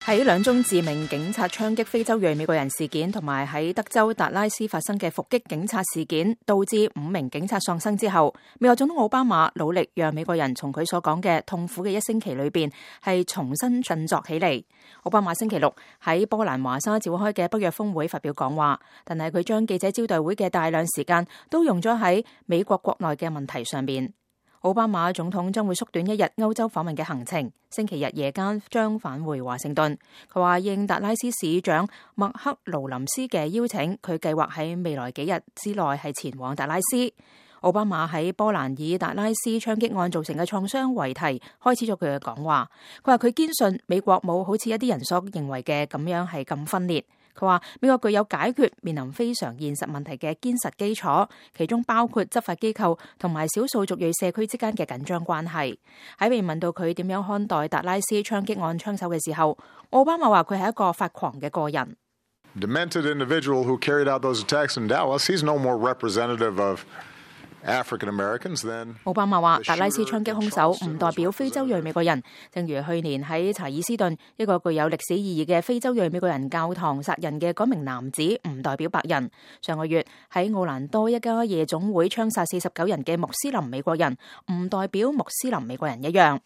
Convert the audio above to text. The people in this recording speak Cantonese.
喺兩宗致命警察槍擊非洲裔美國人事件，同埋喺德州達拉斯發生嘅伏擊警察事件，導致5名警察喪生之後，美國總統奧巴馬努力讓美國人從佢所講嘅痛苦嘅一星期裏邊係重新振作起嚟。奧巴馬星期六喺波蘭華沙召開嘅北約峰會發表講話，但係佢將記者招待會嘅大量時間都用咗喺美國國內嘅問題上面。奧巴馬總統將會縮短1日歐洲訪問嘅行程，星期日夜間將返回華盛頓。佢話應達拉斯市長麥克勞林斯嘅邀請，佢計劃喺未來幾日之內係前往達拉斯。奧巴馬喺波蘭以達拉斯槍擊案造成嘅創傷為題，開始咗佢嘅講話。佢話佢堅信美國冇好似一啲人所認為嘅咁樣係咁分裂。佢話美國具有解決面臨非常現實問題嘅堅實基礎，其中包括執法機構同埋少數族裔社區之間嘅緊張關係。喺被問到佢點樣看待達拉斯槍擊案槍手嘅時候，奧巴馬話佢係一個發狂嘅個人。Demented individual who carried out those attacks in Dallas, he's no more representative of African Americans than 奧巴馬話達拉斯槍擊兇手唔代表非洲裔美國人，正如去年喺查爾斯頓一個具有歷史意義嘅非洲裔美國人教堂殺人嘅嗰名男子唔代表白人。上個月喺奧蘭多一家夜總會槍殺49人嘅穆斯林美國人唔代表穆斯林美國人一樣。